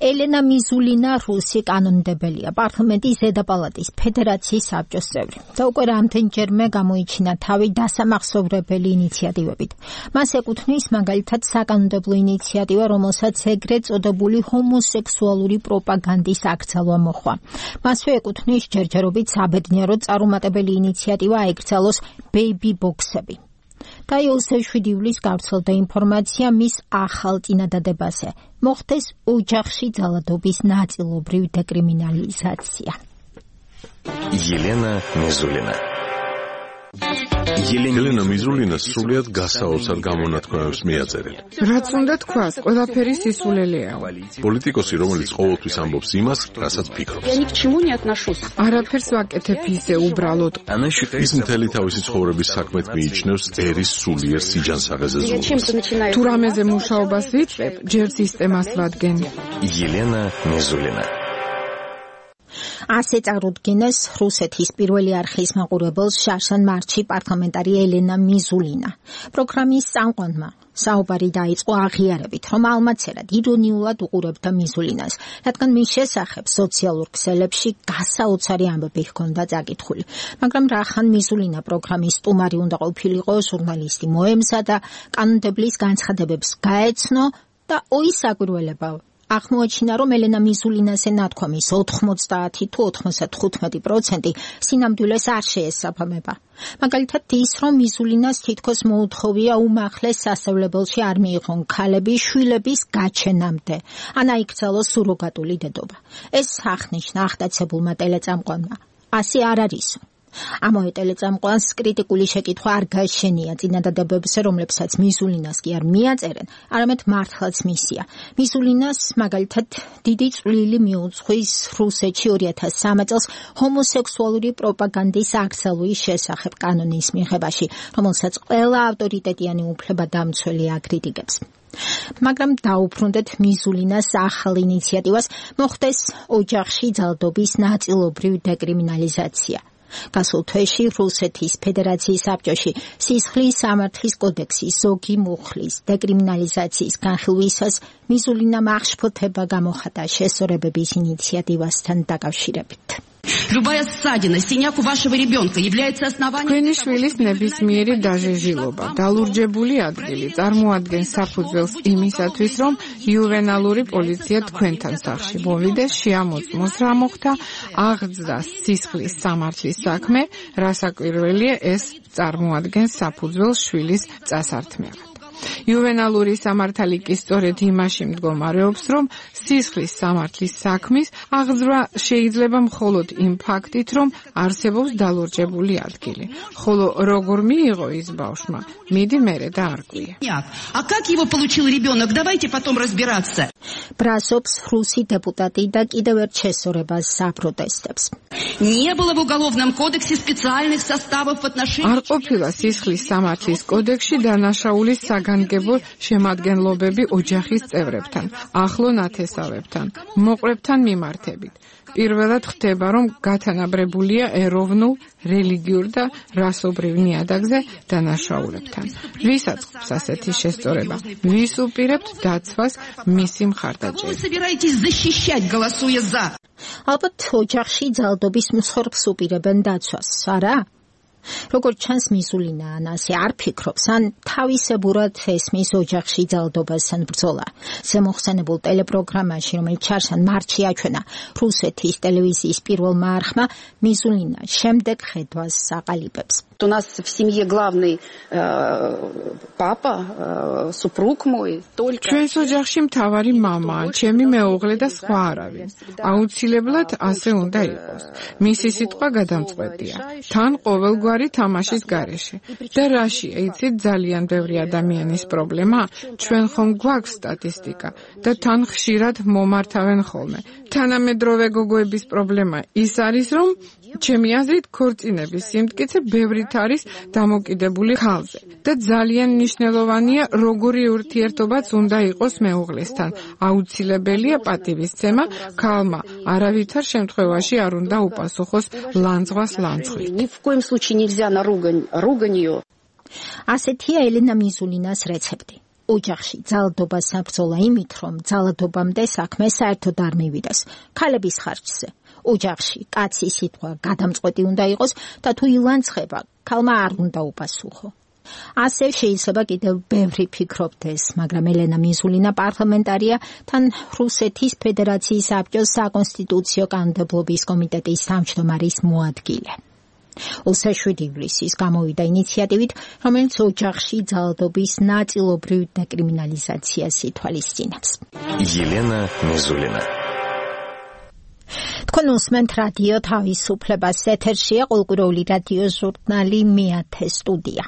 ელენა მიზულინა რუსი კანონმდებელია, პარლამენტის ზედა პალატის ფედერაციის საბჭოს წევრი და უკვე რამდენჯერმე გამოიჩინა თავი დასამახსოვრებელი ინიციატივებით. მას ეკუთვნის მაგალითად საკანონმდებლო ინიციატივა, რომელსაც ეგრეთ წოდებული ჰომოსექსუალური პროპაგანდის აკრძალვა მოჰყვა. მასვე ეკუთვნის ჯერჯერობით საბედნიეროდ წარუმატებელი ინიციატივა აეკრძალოს ბეიბი ბოქსები. და იოსებ 7 ივლისს გავრცელდა ინფორმაცია მის ახალ წინადადებაზე. მოხდეს ოჯახში ძალადობის ნაწილობრივ დეკრიმინალიზაცია. ელენა მიზულინა. ელენა მიზულინა სრულიად გასაოცარ გამონათქვამებს მიაწერენ. რაც უნდა თქვას, ყველაფერი სისულელეა. პოლიტიკოსი, რომელიც ყოველთვის ამბობს იმას, რასაც ფიქრობს. არაფერს ვაკეთებ ისე უბრალოდ. ის მთელი თავისი ცხოვრების საქმეთ მიიჩნევს ერის სულიერ სიჯანსაღეზე ზრუნვას. თუ რამეზე მუშაობას ვიწყებ, ჯერ სისტემას ვადგენ. ელენა მიზულინა. ასე წარუდგინეს რუსეთის პირველი არხის მაყურებელს შარშან მარტში პარლამენტარი ელენა მიზულინა. პროგრამის წამყვანმა საუბარი დაიწყო აღიარებით, რომ ალმაცერად ირონიულად უყურებდა მიზულინას, რადგან მის შესახებ სოციალურ ქსელებში გასაოცარი ამბები ჰქონდა წაკითხული. მაგრამ რახან მიზულინა პროგრამის სტუმარი უნდა ყოფილიყო, ჟურნალისტი მოემზა და კანონმდებლის განცხადებებს გაეცნო და ოისაგვირველება აღმოაჩინა, რომ ელენა მიზულინას ნათქვამის 90 თუ 95% სინამდვილეს არ შეესაბამება. მაგალითად ის, რომ მიზულინას თითქოს მოუთხოვია უმაღლეს სასწავლებელში არ მიიღონ ქალები შვილების გაჩენამდე, ან აიკრძალოს სუროგატული დედობა. ეს აღნიშნა ახტაცებულმა ტელეწამყვანმა. ასე არ არისო. ამავე ტელეწამყვანს კრიტიკული შეკითხვა არ გაეშენია წინადადებებზე, რომლებსაც მიზულინას კი არ მიაწერენ, არამედ მართლაც მისია. მიზულინას მაგალითად დიდი წვლილი მიუძღვის რუსეთში 2003 წელს ჰომოსექსუალური პროპაგანდის აკრძალვის შესახებ კანონის მიღებაში, რომელსაც ყველა ავტორიტეტიანი უფლებადამცველი აკრიტიკებს. მაგრამ დაუბრუნდეთ მიზულინას ახალ ინიციატივას, მოხდეს ოჯახში ძალადობის ნაწილობრივ დეკრიმინალიზაცია. გასულ თვეში რუსეთის ფედერაციის საბჭოში სისხლის სამართლის კოდექსის ზოგი მუხლის დეკრიმინალიზაციის განხილვისას მიზულინამ აღშფოთება გამოხატა შესწორებების ინიციატივასთან დაკავშირებით. Любая ссадина, синяк у вашего ребенка является основанием. Თქვენი შვილის ნებისმიერი დაჟეჟილობა, დალურჯებული ადგილი წარმოადგენს საფუძველს იმისათვის, რომ იუვენალური პოლიცია თქვენთან სახლში მოვიდეს, შეამოწმოს რა მოხდა, აღძრას სისხლის სამართლის საქმე, რასაკვირველია ეს წარმოადგენს საფუძველს შვილის წასართმევად. იუვენალური სამართალი კი სწორედ იმაში მდგომარეობს, რომ სისხლის სამართლის საქმის აღძვრა შეიძლება მხოლოდ იმ ფაქტით, რომ არსებობს დალურჯებული ადგილი. ხოლო როგორ მიიღო ის ბავშვმა, მიდი მერე დაარკვია. А как его получил ребенок? Давайте потом разбираться. ბრასობს რუსი დეპუტატი და კიდევ ერთ შესწორებას აპროტესტებს. Не было в уголовном кодексе специальных составов в отношении. არ ყოფილა სისხლის სამართლის კოდექსში დანაშაულის საგანგებო შემადგენლობები ოჯახის წევრებთან, ახლო ნათესავებთან, მოყვრებთან მიმართებით. პირველად ხდება, რომ გათანაბრებულია ეროვნულ, რელიგიურ და რასობრივ ნიადაგზე დანაშაულებთან. ვის აწყობს ასეთი შესწორება? ვის უპირებთ დაცვას მისი მხარდაჭერით? ალბათ ოჯახში ძალადობის მსხვერპლს უპირებენ დაცვას, არა? როგორც ჩანს მიზულინა ან ასე არ ფიქრობს, ან თავისებურად ესმის ოჯახში ძალადობასთან ბრძოლა. ზემოხსენებულ ტელეპროგრამაში, რომელიც ჩარშან მარტში აჩვენა რუსეთის ტელევიზიის პირველმა არხმა, მიზულინა შემდეგ ხედვას აყალიბებს. У нас в семье главный папа, супруг мой, только ჩვენს ოჯახში მთავარი მამაა, ჩემი მეუღლე და სხვა არავინ. აუცილებლად ასე უნდა იყოს. მისი სიტყვა გადამწყვეტია. თან ყოველგვარი თამაშის გარეშე. და რაშია, იცით, ძალიან ბევრი ადამიანის პრობლემა, ჩვენ ხომ გვაქვს სტატისტიკა და თან ხშირად მომართავენ ხოლმე. თანამედროვე გოგოების პრობლემა ის არის, რომ ჩემი აზრით ქორწინების სიმტკიცე ბევრით არის დამოკიდებული ხალზე და ძალიან მნიშვნელოვანია როგორი ურთიერთობაც უნდა იყოს მეუღლესთან. აუცილებელია პატივისცემა, ქალმა არავითარ შემთხვევაში არ უნდა უპასუხოს ლანძღვას ლანძღვით. Ни в коем случае нельзя на руганью. ასეთია ელენა მიზულინას რეცეპტი. ოჯახში ძალადობა საბრძოლა იმით, რომ ძალადობამდე საქმე საერთოდ არ მივიდეს, ქალების ხარჯზე. ოჯახში კაცი სიტყვა გადამწყვეტი უნდა იყოს და თუ ილანცხება, ქალმა არ უნდა უპასუხო. ასე შეიძლება კიდევ ბევრი ფიქრობდეს, მაგრამ ელენა მიზულინა პარლამენტარია, თან რუსეთის ფედერაციის საბჭოს საკონსტიტუციო კანონმდებლობის კომიტეტის თავმჯდომარის მოადგილე. 27 ივლისის გამოვიდა ინიციატივით, რომელიც ოჯახში ძალადობის ნაწილობრივ დეკრიმინალიზაციას ითვალისწინებს. ელენა მიზულინა. თქვენ უსმენთ რადიო თავისუფლებას, ეთერშია ყოველკვირეული რადიო ჟურნალი მეათე სტუდია.